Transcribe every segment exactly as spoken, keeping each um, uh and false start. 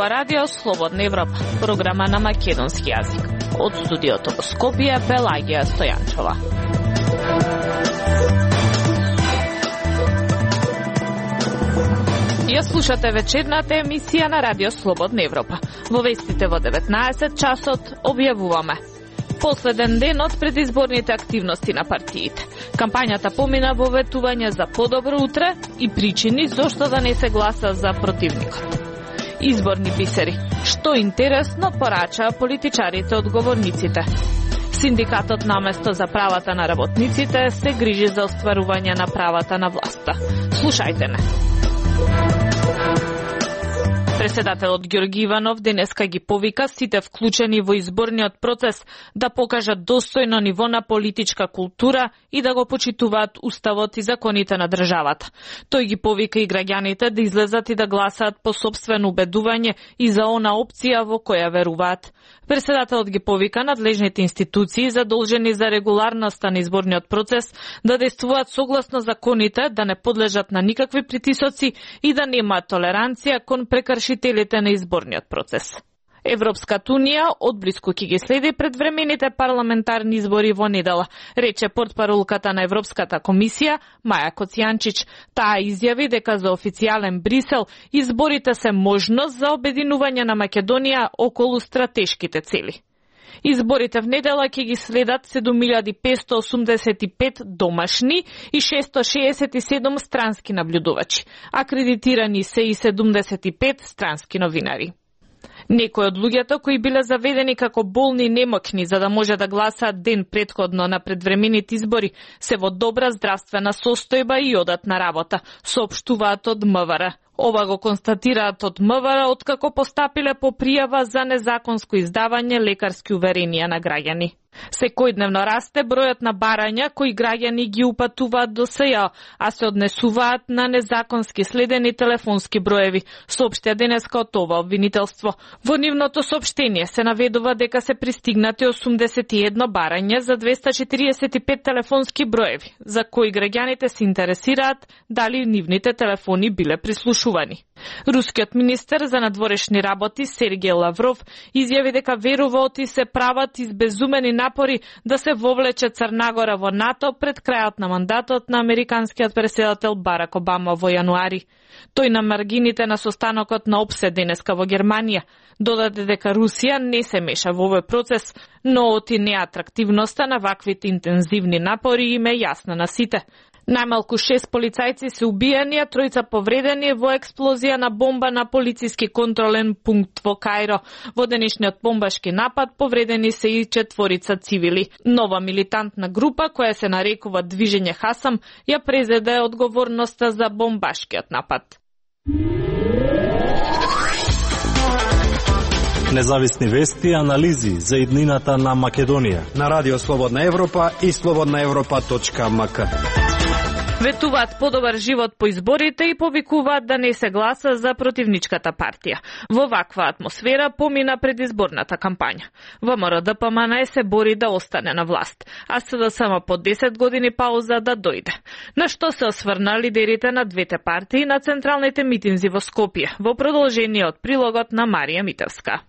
ова радио Слободна Европа, програма на македонски јазик. Од студиото во Скопје, Пелагија Стојанчова. Ја слушате вечерната емисија на радио Слободна Европа. Во вестите во деветнаесет часот објавуваме последен ден од предизборните активности на партиите. Кампањата помина во ветување за подобро утре и причини зошто да не се гласа за противникот. Изборни бисери. Што интересно порачаа политичарите одговорниците. Синдикатот наместо за правата на работниците се грижи за остварување на правата на власта. Слушајте не. Председателот Ѓорги Иванов денеска ги повика сите вклучени во изборниот процес да покажат достојно ниво на политичка култура и да го почитуваат уставот и законите на државата. Тој ги повика и граѓаните да излезат и да гласаат по сопствено убедување и за она опција во која веруваат. Председателот ги повика надлежните институции задолжени за регуларноста на изборниот процес да действуваат согласно законите, да не подлежат на никакви притисоци и да немаат толеранција кон прекршителите на изборниот процес. Европската унија одблиску ќе ги следи предвремените парламентарни избори во недела, рече портпаролката на Европската комисија Маја Коцијанчич. Таа изјави дека за официјален Брисел изборите се можност за обединување на Македонија околу стратешките цели. Изборите в недела ќе ги следат седум илјади петстотини осумдесет и пет домашни и шестоста шеесет и седум странски наблюдувачи. Акредитирани се и седумдесет и пет странски новинари. Некои од луѓето кои биле заведени како болни и немокни за да може да гласаат ден претходно на предвремените избори се во добра здравствена состојба и одат на работа, соопштуваат од МВР. Ова го констатираат од МВР откако постапиле по пријава за незаконско издавање лекарски уверенија на граѓани. Секојдневно расте бројот на барања кои граѓани ги упатуваат до СЈ, а се однесуваат на незаконски следени телефонски броеви, соопштија денеска од ова обвинителство. Во нивното соопштение се наведува дека се пристигнати осумдесет и едно барање за двеста четириесет и пет телефонски броеви, за кои граѓаните се интересираат дали нивните телефони биле прислушувани. Рускиот министер за надворешни работи Сергеј Лавров изјави дека верува оти се прават избезумени напори да се вовлече Црна Гора во НАТО пред крајот на мандатот на американскиот претседател Барак Обама во јануари. Тој на маргините на состанокот на ОПСЕ денеска во Германија додаде дека Русија не се меша во овој процес, но оти неатрактивноста на ваквите интензивни напори им е јасна на сите. Најмалку шест полицајци се убиени, а тројца повредени во експлозија на бомба на полициски контролен пункт во Кајро. Во денешниот бомбашки напад повредени се и четворица цивили. Нова милитантна група, која се нарекува Движење Хасам, ја презеде одговорноста за бомбашкиот напад. Независни вести и анализи за иднината на Македонија на Радио Слободна Европа и слободна европа точка ем ка. Ветуваат подобар живот по изборите и повикуваат да не се гласа за противничката партија. Во ваква атмосфера помина предизборната кампања. ВМРО Д П М Н се бори да остане на власт, а С Д С М по десет години пауза да дојде. На што се осврна лидерите на двете партии на централните митинзи во Скопје, во продолжение од прилогот на Марија Митевска.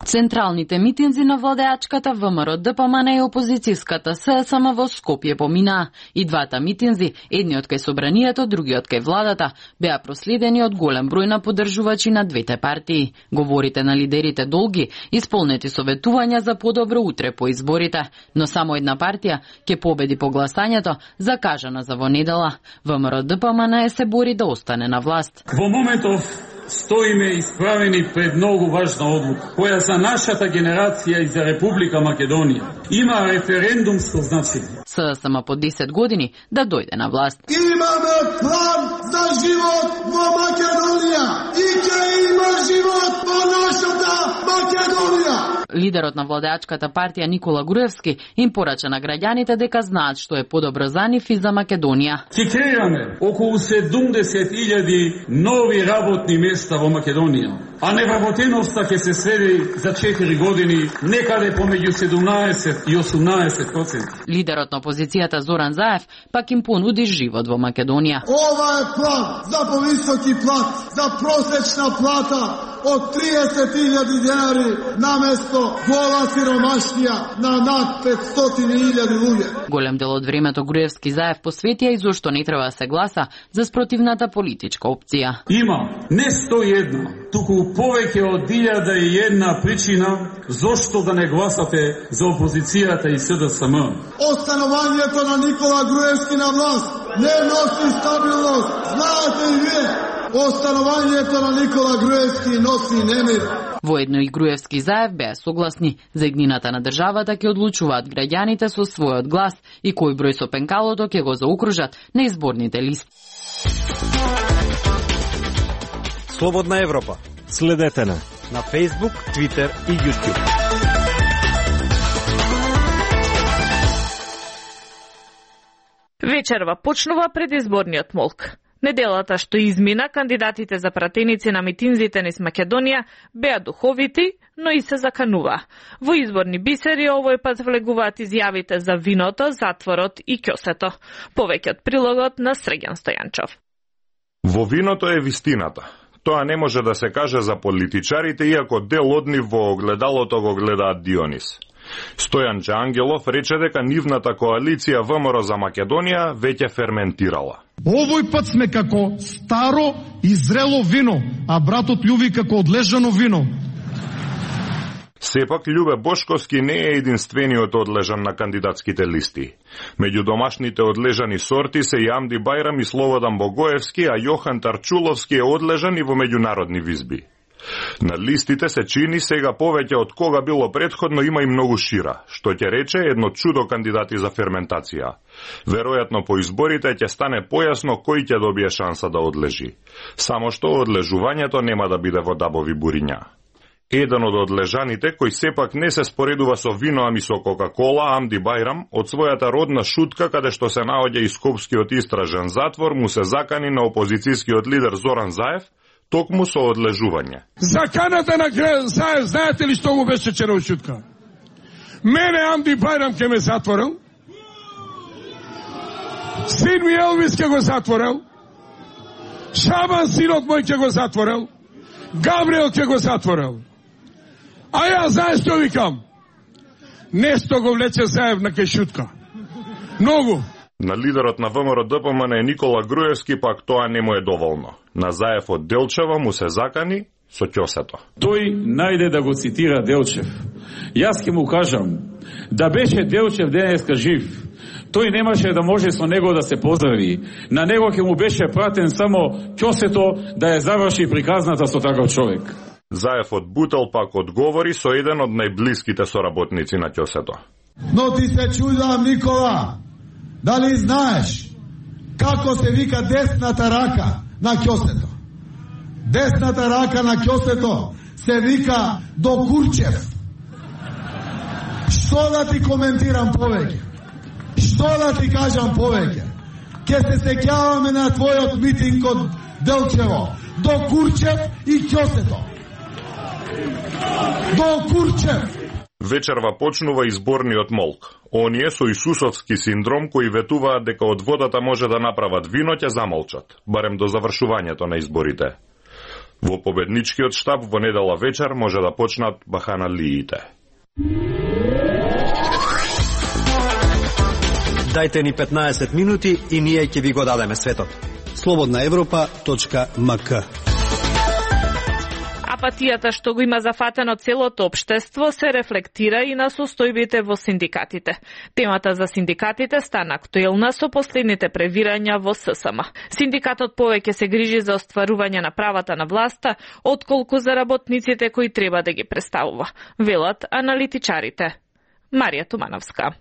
Централните митинзи на владеачката ВМРО Д П М Н и опозицијската С С М во Скопје поминаа. И двата митинзи, едниот кај собранието, другиот кај владата, беа проследени од голем број на поддржувачи на двете партии. Говорите на лидерите долги, исполнети со ветувања за подобро утре по изборите, но само една партија ќе победи по гласањето, закажана за во недела. ВМРО Д П М Н се бори да остане на власт. Во моментов стоиме исправени пред многу важна одлука, која за нашата генерација и за Република Македонија има референдумско значење. С Д С М по десет години да дојде на власт. Имаме план за живот во Македонија и ќе има живот во нашата Македонија. Лидерот на владеачката партија Никола Груевски им порача на граѓаните дека знаат што е подобро за нив и за Македонија. Ќе креираме околу седумдесет илјади нови работни места во Македонија, а невработеноста ќе се сведе за четири години некаде помеѓу седумнаесет и осумнаесет проценти. Лидерот на опозицијата Зоран Заев пак им понуди живот во Македонија. Ова е план за повисоки плат, за просечна плата од триесет илјади денари наместо гола сиромаштија на над петстотини илјади луѓе. Голем дел од времето Груевски Заев посветија и зошто не треба да се гласа за спротивната политичка опција. Има не сто и една, туку повеќе од илјада и една причина зошто да не гласате за опозицијата и С Д С М. Останувањето на Никола Груевски на власт не носи стабилност. Знаете и вие, останувањето на Никола Груевски носи немир. Воедно и Груевски Заев беа согласни за иднината на државата ќе одлучуваат граѓаните со својот глас и кој број со пенкалото ќе го заокружат на изборните листи. Слободна Европа. Следете на на Facebook, Twitter и YouTube. Вечерва почнува предизборниот молк. Неделата што измина, кандидатите за пратеници на митинзите низ Македонија беа духовити, но и се заканува. Во изборни бисери овој пат влегуваат изјавите за виното, затворот и ќосето. Повеќе од прилогот на Срегјан Стојанчов. Во виното е вистината. Тоа не може да се каже за политичарите, иако дел од нив во огледалото го гледаат Дионис. Стојанче Ангелов рече дека нивната коалиција В М Р за Македонија веќе ферментирала. Овој пат сме како старо и зрело вино, а братот Љуви како одлежано вино. Сепак, Љубе Бошковски не е единствениот одлежан на кандидатските листи. Меѓу домашните одлежани сорти се и Амди Бајрам и Слободан Богоевски, а Јохан Тарчуловски е одлежан и во меѓународни визби. На листите се чини сега повеќе од кога било претходно има и многу шира, што ќе рече едно чудо кандидати за ферментација. Веројатно по изборите ќе стане појасно кој ќе добие шанса да одлежи. Само што одлежувањето нема да биде во дабови буриња. Еден од одлежаните, кој сепак не се споредува со вино, ами со Кока-кола, Амди Бајрам, од својата родна Шутка, каде што се наоѓа и Скопскиот истражен затвор, му се закани на опозицијскиот лидер Зоран Заев, токму со одлежување. Заканата на Заев, знаете ли што му беше вчера од Шутка? Мене Амди Бајрам ке ме затворил, син ми Елвис ке го затворил, Шабан синот мој ке го затворил, Габриел ке го затворил. А ја знаеш што викам? Нешто го влече Заев на Кешутка. Многу. На лидерот на В М Р Д П М Н Никола Груевски пак тоа не му е доволно. На Заев од Делчева му се закани со ќосето. Тој најде да го цитира Делчев. Јас ќе му кажам, да беше Делчев денеска жив, тој немаше да може со него да се поздрави. На него ќе му беше пратен само ќосето да ја заврши приказната со таков човек. Заев од Бутел пак одговори со еден од најблиските соработници на ќосето. Но ти се чудам, Никола, дали знаеш како се вика десната рака на ќосето? Десната рака на ќосето се вика Докурчев. Што да ти коментирам повеќе? Што да ти кажам повеќе? Ке се сеќаваме на твојот митинг од Делчево. Докурчев и ќосето. Докурчев. Вечерва почнува изборниот молк. Оние со исусовски синдром кои ветуваат дека од водата може да направат вино ќе замолчат, барем до завршувањето на изборите. Во победничкиот штаб во недела вечер може да почнат баханалиите. Дајте ни петнаесет минути и ние ќе ви го дадеме светот. слободна европа точка м к. Апатијата што го има зафатено целото општество се рефлектира и на состојбите во синдикатите. Темата за синдикатите стана актуелна со последните превирања во С С М. Синдикатот повеќе се грижи за остварување на правата на власта, отколку за работниците кои треба да ги представува, велат аналитичарите. Марија Тумановска.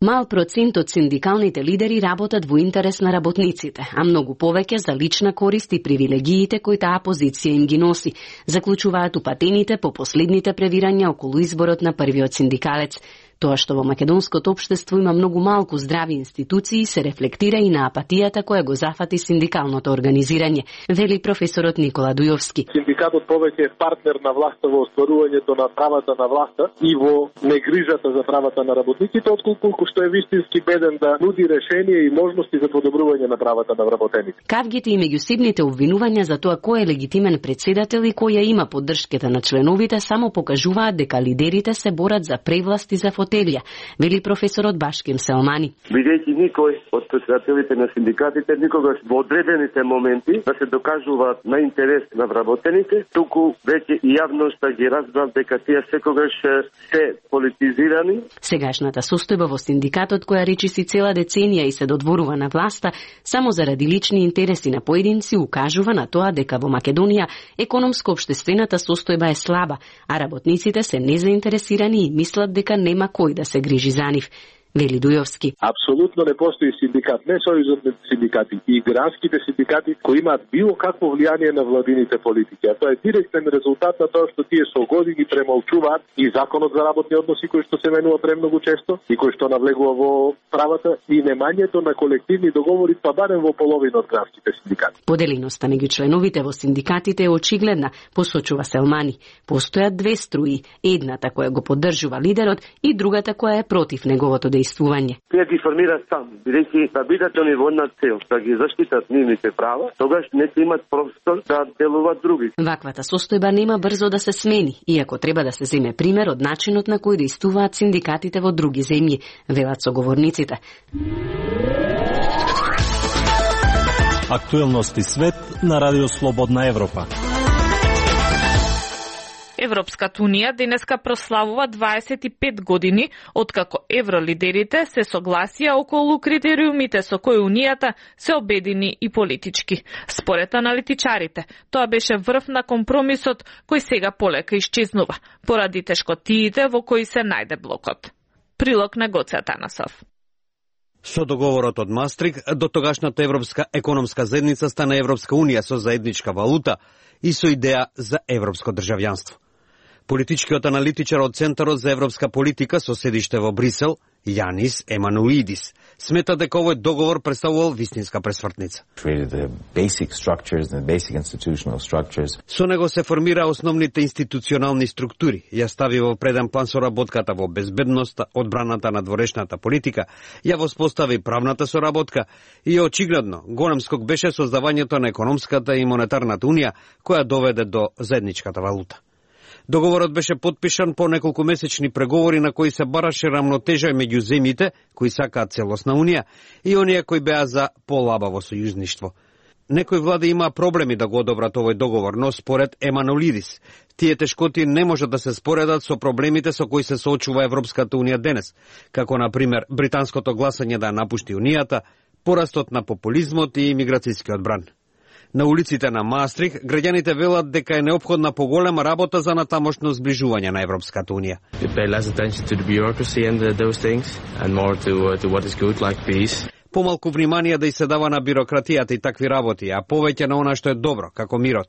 Мал процент од синдикалните лидери работат во интерес на работниците, а многу повеќе за лична корист и привилегиите кои таа позиција им ги носи, заклучуваат упатените по последните превирања околу изборот на првиот синдикалец. Тоа што во македонското општество има многу малку здрави институции се рефлектира и на апатијата која го зафати синдикалното организирање, вели професорот Никола Дујовски. Синдикатот повеќе е партнер на власта во остварувањето на правата на власта и во негрижата за правата на работниците, отколку што е вистински беден да нуди решение и можности за подобрување на правата на вработените. Кавгите и меѓусебните обвинувања за тоа кој е легитимен председател и која има поддршката на членовите само покажуваат дека лидерите се борат за превласт и за фотелја, вели професорот Башким Селмани. Бидејќи никој од председателите на синдикатите никогаш во одредените моменти да се докажуваат на интерес на вработените, туку веќе и јавноста ги разбрав дека тие секогаш се политизирани. Сегашната состојба во синдикатот која речиси цела деценија и се додворува на власта само заради лични интереси на поединци укажува на тоа дека во Македонија економско-општествената состојба е слаба, а работниците се незаинтересирани и мислат дека нема кој да се грижи за нив, вели Дујовски. Апсолутно не постои синдикат, не сојузот синдикати, и гранските синдикати кои имаат било какво влијание на владините политики. А тоа е директен резултат на тоа што тие со години премолчуваат и законот за работни односи кој што се менува премногу често и кој што навлегува во правата и немањето на колективни договори, па барем во половина од гранските синдикати. Поделеноста меѓу членовите во синдикатите е очигледна, посочува Селмани. Постојат две струи, едната која го поддржува лидерот и другата која е против неговото дејство. Тие ги формираат сам, бидејќи да бидат они во една цел, да ги заштитат нивните права, тогаш не ќе имат простор да делуваат други. Ваквата состојба нема брзо да се смени, иако треба да се земе пример од начинот на кој действуваат синдикатите во други земји, велат соговорниците. Актуелности свет на Радио Слободна Европа. Европската Унија денеска прославува дваесет и пет години откако евролидерите се согласија околу критериумите со кои Унијата се обедини и политички. Според аналитичарите, тоа беше врв на компромисот кој сега полека исчезнува, поради тешкотиите во кои се најде блокот. Прилог на Гоце Атанасов. Со договорот од Мастрик, до тогашната Европска економска заедница стана Европска Унија со заедничка валута и со идеја за европско државјанство. Политичкиот аналитичар од Центарот за европска политика со седиште во Брисел, Јанис Емануидис, смета дека овој договор представувал вистинска пресвртница. Со него се формира основните институционални структури, ја стави во преден план соработката во безбедноста, одбраната на дворешната политика, ја воспостави правната соработка и очигледно голем скок беше создавањето на економската и монетарната унија, која доведе до заедничката валута. Договорот беше подпишан по неколку месечни преговори на кои се бараше рамнотежа меѓу земјите кои сакаат целосна унија и оние кои беа за полабаво сојузништво. Некои влади имаа проблеми да го одобрат овој договор, но според Еманолидис, тие тешкоти не можат да се споредат со проблемите со кои се соочува Европската унија денес, како на пример британското гласање да напушти унијата, порастот на популизмот и миграцијскиот бран. На улиците на Маастрих, граѓаните велат дека е неопходна поголема работа за натамошно зближување на Европската унија. Помалку внимание да и се дава на бирократијата и такви работи, а повеќе на она што е добро, како мирот.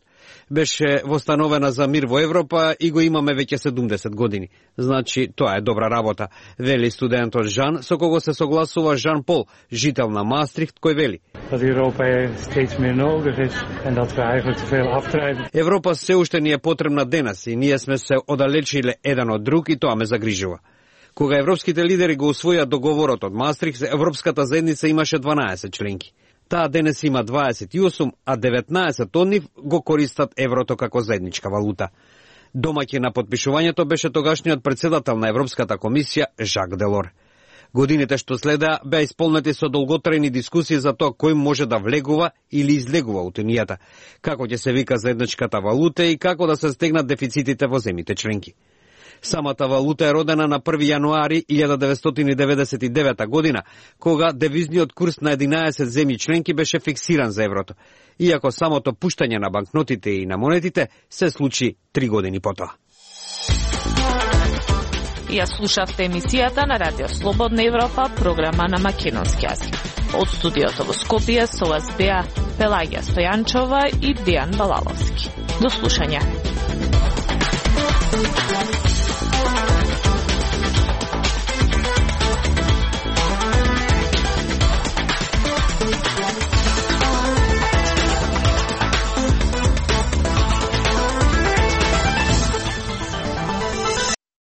Беше востановена за мир во Европа и го имаме веќе седумдесет години. Значи, тоа е добра работа, вели студентот Жан, со кого се согласува Жан Пол, жител на Маастрихт, кој вели. Европа се уште ни е потребна денес и ние сме се оддалечиле еден од друг и тоа ме загрижува. Кога европските лидери го усвоја договорот од Маастрихт, Европската заедница имаше дванаесет членки. Таа денес има дваесет и осум, а деветнаесет од нив го користат еврото како заедничка валута. Домаќин на подпишувањето беше тогашниот председател на Европската комисија Жак Делор. Годините што следеа беа исполнети со долготрајни дискусии за тоа кој може да влегува или излегува од унијата, како ќе се вика заедничката валута и како да се стегнат дефицитите во земјите членки. Самата валута е родена на први јануари илјада деветстотини деветдесет и девета година, кога девизниот курс на единаесет земји членки беше фиксиран за еврото, иако самото пуштање на банкнотите и на монетите се случи три години потоа. Ја слушавте емисијата на Радио Слободна Европа, програма на македонски јазик. Од студиото во Скопје со вас беа Пелагија Стојанчова и Дејан Балаловски. До слушање.